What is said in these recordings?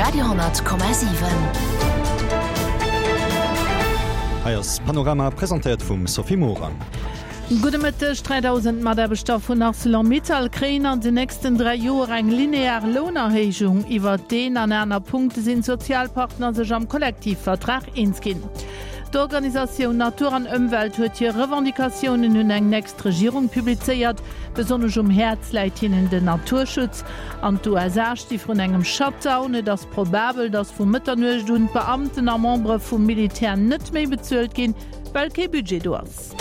Radio,7. Hei ass Panorama, presentéiert vum Sophie Morang. Gudde Mëtteg. 3.000 Mataarbechter vun Arcelor-Mittal kréien an den nächsten 3 Joer eng linear Lounerhéijung. Iwwert deen an aner Punkte sinn d'Sozialpartner sech am Kollektivvertrag eens ginn. D'Organisatioun Natur an Ëmwelt huet hir Revendicatiounen un eng nächst Regierung publizéiert. Besonnesch um Häerz läit hinnen den Naturschutz. An d'USA sti vrun engem Shutdown. Et ass probabel, datt vu Mëtternuecht un d'Beamten a Membere vum Militär net méi bezuelt ginn, well kee Budget do ass.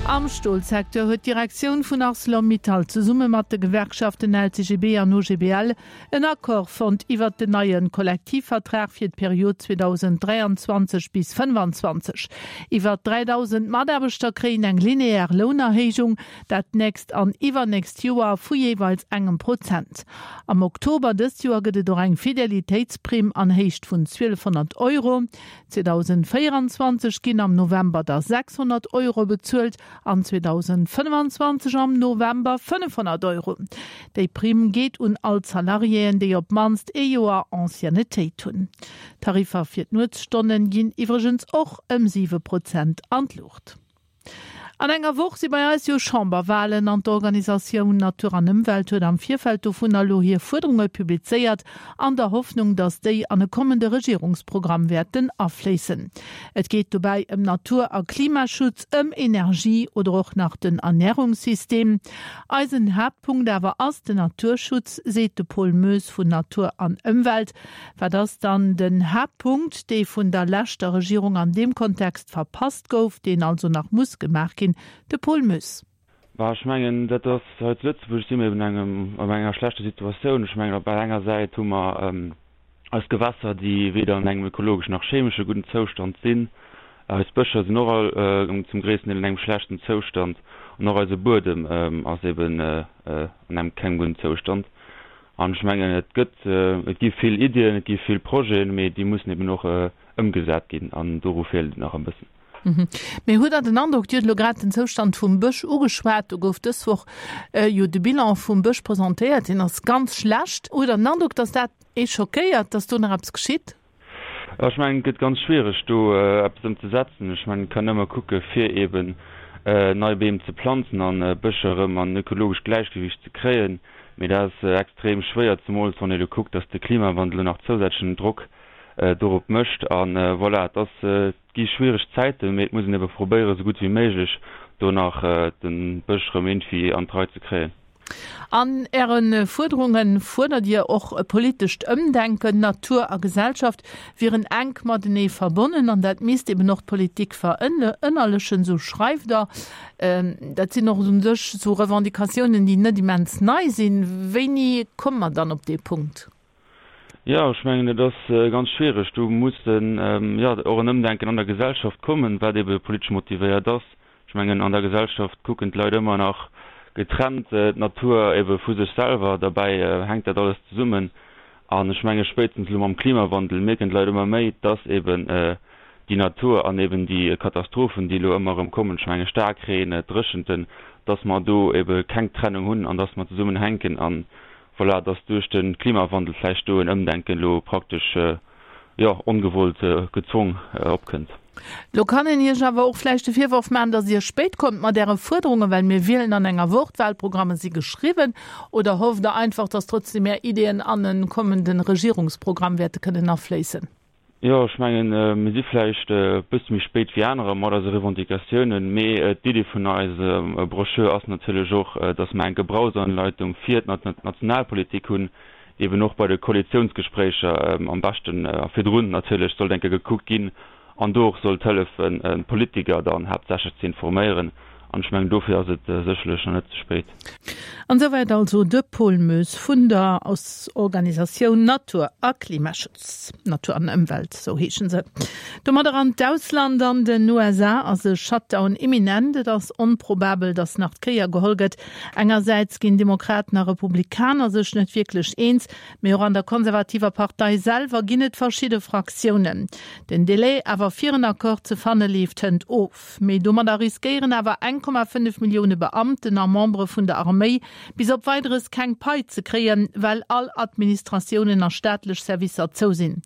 Am Stolsecteur huet d'Direktioun vun Arcelor-Mittal zesumme mat de Gewerkschaften LCGB an OGBL en Accord fonnt iwwert den neie Kollektivvertrag fir d'Period 2023 bis 25. Iwwer 3.000 Mataarbechter kréien eng linear Lounerhéijung, dat d'nächst an iwwernächst Joer vu jeeweils engem Prozent. Am Oktober dëst Joer gëtt et och eng Fidelitéitsprimm an Héicht vun 1.200 Euro. 2024 ginn am November da 600 Euro bezuelt an 2025 am November 500 Euro. Déi Primm geet un all d'Salariéen, déi op d'mannst ee Joer Anciennetéit hunn. D'Tariffer fir d'Nuetsstonne ginn iwwregens och ëm 7 Prozent an d'Luucht. An enger Woch si bei eis jo Chamberwalen an d'Organisatioun Natur an Ëmwelt huet am Virfeld dovunner elo hir Fuerderunge publizéiert, an der Hoffnung, datt déi an e kommende Regierungsprogramm wäerten afléissen. Et geet dobäi ëm Natur a Klimaschutz, ëm Energie oder och nach den Ernärungssystem. Eisen Haaptpunkt awer ass den Naturschutz, seet de Paul Moes vun Natur an Ëmwelt. Wat ass dann den Haaptpunkt, dee vun der leschter Regierung an deem Kontext verpasst gouf, deen also nach muss gemaach ginn? De Paul Moes. Bah, ech mengen, dat ass, hei zu Lëtzebuerg si mir eben engem, an enger schlechter Situatioun. Ech mengen, op där enger Säit hu mer eis Gewässer, déi weder an engem ökologesch nach chemesche gudden Zoustand sinn. Eis Bëscher sinn och all zum gréissten Deel an engem schlechten Zoustand an och eise Buedem ass eben an engem kengem gudden Zoustand. An ech mengen, et gëtt, et gi vill Iddien, et gi vill Projeten, mee déi mussen eben och ëmgesat ginn an doru feelt et nach e bëssen. Mee hutt Der den Androck, Dir hutt elo grad den Zoustand vum Bësch ugeschwat, do gouf dës Woch jo de Bilan vum Bësch presentéiert, deen ass ganz schlecht. Hutt Der den Androck, datt dat ee schockéiert, datt do nach eppes geschitt? Ech mengen, et gëtt ganz schwiereg, do eppes ëmzesetzen. Ech mengen, et kann nëmme kucke fir eeben nei Beem ze planzen an Bëscher erëm an ökologescht Gläichgewicht ze kréien. Mee dat ass extrem schwéier, zemools wann ee elo kuckt, datt de Klimawandel elo nach zousätzlechen Drock dorop mécht. A voilà, et ass, et gi schwiereg Zäiten, mee et muss een ebe probéieren, esou gutt wéi méiglech do nach de Bësch erëm iergendwéi an d'Rei ze kréien. An Äre Fuerderunge fuerdert Dir och e politescht Ëmdenken. Natur a Gesellschaft wieren enk matenee verbonnen an dat misst eben och d'Politik verënnerlechen, esou schreift Der. Dat sinn och u sech esou Revendicatiounen, déi net immens nei sinn. Wéini komme mer dann op dee Punkt? Jo, ech mengen, et ass ganz schwiereg. Do muss jo och en Ëmdenken an der Gesellschaft kommen, wat ebe politesch motivéiert ass. Ech mengen, an der Gesellschaft kucken d'Leit ëmmer nach getrennt d'Natur ebe vu sech selwer. Derbäi hänkt dat alles zesummen. An ech menge spéitstens elo mam Klimawandel mierken d'Leit ëmmer méi, dass eben déi Natur an eben déi Katastrophen, déi elo ëmmer erëm kommen, ech menge Staarkreen, Dréchenten, dass mer do ebe keng Trennung hunn an dass mer zesummen hänken. An voilà, dass duerch de Klimawandel vläicht do en Ëmdenken elo praktesch, jo, ongewollt gezwong opkënnt. Lo kann een Iech awer och vläicht de Virworf maachen, dass Dir spéit kommt mat Äre Fuerderungen, well mir wielen an enger Woch, d'Wahlprogramme si geschriwwen. Oder hofft Der einfach, dass trotzdem Är Ideeën an e kommende Regierungsprogramm wäerte kënnen afléissen? Jo, ech mengen, mir si vläicht e bësse méi spéit wéi anerer mat eise Revendicatiounen, mee d'Iddi vun eiser Broschür ass natierlech och, dass mer eng Gebrauchsanleitung fir d'Nationalpolitik hunn, déi eben och bei de Koalitiounsgespréicher am beschten a virdrun natierlech sollt eng Kéier gekuckt ginn an do och sollt hëllefen, d'Politiker dann haaptsächlech ze informéieren. An ech mengen, dofir ass et sécherlech nach net ze spéit. An esouwäit also de Paul Moes vun der Organisatioun Natur a Klimaschutz. Natur an Ëmwelt, sou heeschen se. Domadder an d'Ausland, An den USA ass e Shutdown imminent. Et ass onprobabel, datt nach d'Kéier geholl gëtt. Engersäits ginn Demokraten a Republikaner sech net wierklech eens, mee och an der konservativer Partei selwer ginn et verschidde Fraktiounen. Den Delai awer fir en Accord ze fanne leeft hënt of. Mee domadder riskéieren awer enk. 1,5 Millioune Beamten a Membere vun der Arméi bis op Weideres keng Pai ze kréien, well all Administratiounen a staatlech Servicer zou sinn.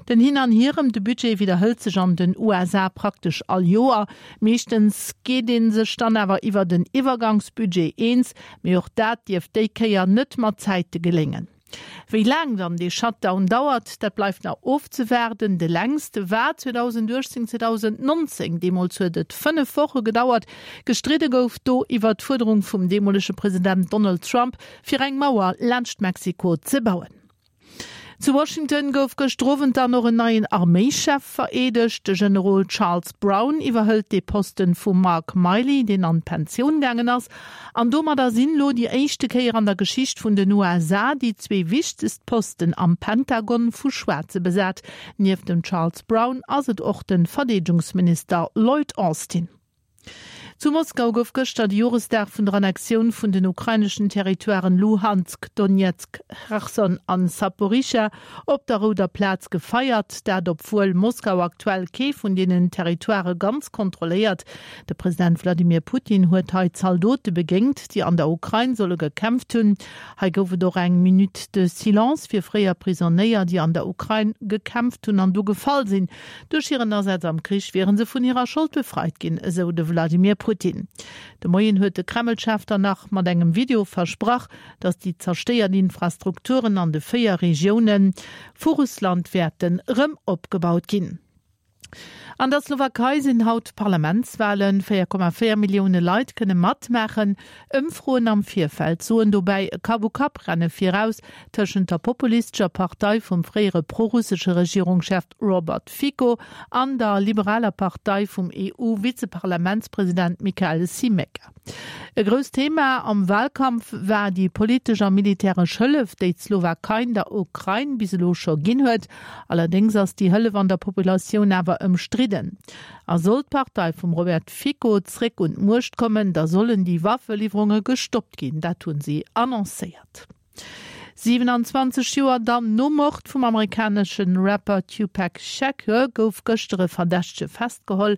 Den Hin an Hier ëm de Budget widderhëlt sech an den USA praktesch all Joer. Meeschtens geet ee sech dann awer iwwert en Iwwergangsbudget eens, mee och dat dierft déi Kéier net mat Zäite geléngen. Wéi laang dann dee Shutdown dauert, dat bleift nach ofzewaarden. De längste war 2018, 2019, deemools huet et 5 Woche gedauert. Gestridde gouf do iwwer d'Fuerderung vum deemolege President Donald Trump, fir eng Mauer laanscht Mexiko ze bauen. Zu Washington gouf gëschter Owend dann och en neien Arméischef vereedegt. De Generol Charles Brown iwwerhëlt dee Posten vum Mark Milley, deen an d'Pensioun gaangen ass. An domadder sinn elo déi éischte Kéier an der Geschicht vun den USA déi zwee wichtegst Posten am Pentagon vu Schwaarze besat. Nieft dem Charles Brown ass et och de Verdeedegungsminister Lloyd Austin. Zu Moskau gouf gëschter de Joresdag vun der Annexioun vun den ukraineschen Territoiren Luhansk, Donezk, Cherson an Saporischschja op der Rouder Plaz gefeiert. Dat obwuel Moskau aktuell kee vun deenen Territoirë ganz kontrolléiert. De President Wladimir Putin huet hei Zaldote begéingt, déi an der Ukrain solle gekämpft hunn. Hei gouf et och eng Minute de silence fir fréier Prisonéier, déi an der Ukrain gekämpft hunn an du gefall sinn. Duerch hiren Asaz am Krich wiere se vun hirer Schold befreit ginn, esou de Wladimir Putin. De Moien huet de Kreml-Chef dann nach mat engem Video versprach, datt déi zerstéiert Infrastrukturen an de 4 Regioune vu Russland wäerten erëm opgebaut ginn. An der Slowakei sinn haut d'Parlamentswalen. 4,4 Millioune Leit kënne matmaachen. Ëmfroen am Virfeld soen dobäi e Kapp-u-Kapp-Renne viraus tëschent der populistescher Partei vum fréiere prorussesche Regierungschef Robert Fico an der liberaler Partei vum EU-Vizeparlamentspresident Michael Scimeca. E grousst Thema am Walkampf war déi politesch a militäresch Hëllef, déi d'Slowakei der Ukrain bis elo scho ginn huet. Allerdéngs ass déi Hëllef an der Populatioun awer ëmstridden. A sollt d'Partei vum Robert Fico zréck un d'Muecht kommen, da sollen déi Waffeliwwerunge gestoppt ginn. Dat hunn si annoncéiert. 27 Joer dann nom Mord vum amerikanesche Rapper Tupac Shakur gouf gëschter e Verdächtege festgeholl.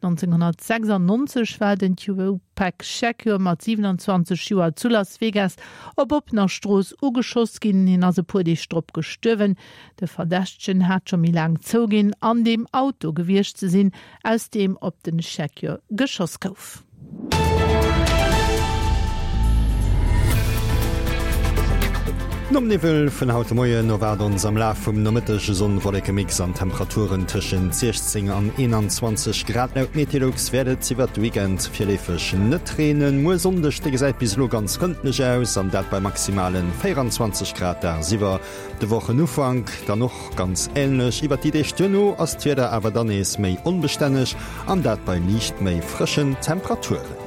1996 war den Tupac Shakur mat 27 Joer zu Las Vegas op oppener Strooss ugeschoss ginn. Hien ass e puer Deeg drop gestuerwen. De Verdächtegen hat scho méi laang zouginn, an deem Auto gewiescht ze sinn, aus deem op de Shakur geschoss gouf. Nom Niwwel vun haut de Moien erwaart ons am Laf vum Nomëtteg e Sonn-Wolleke-Mix an Temperaturen tëschent 16 an 21 Grad. Laut Meteolux wäert et iwwert de Weekend virleefeg net reenen. Muer Sonndeg, de gesäit bis elo ganz frëndlech aus, an dat bei maximale 24 Grad dagsiwwer. De Wochenufank dann och ganz änlech. Iwwert déi Deeg duerno ass d'Wieder awer dann nees méi onbestänneg, an dat bei liicht méi frëschen Temperaturen.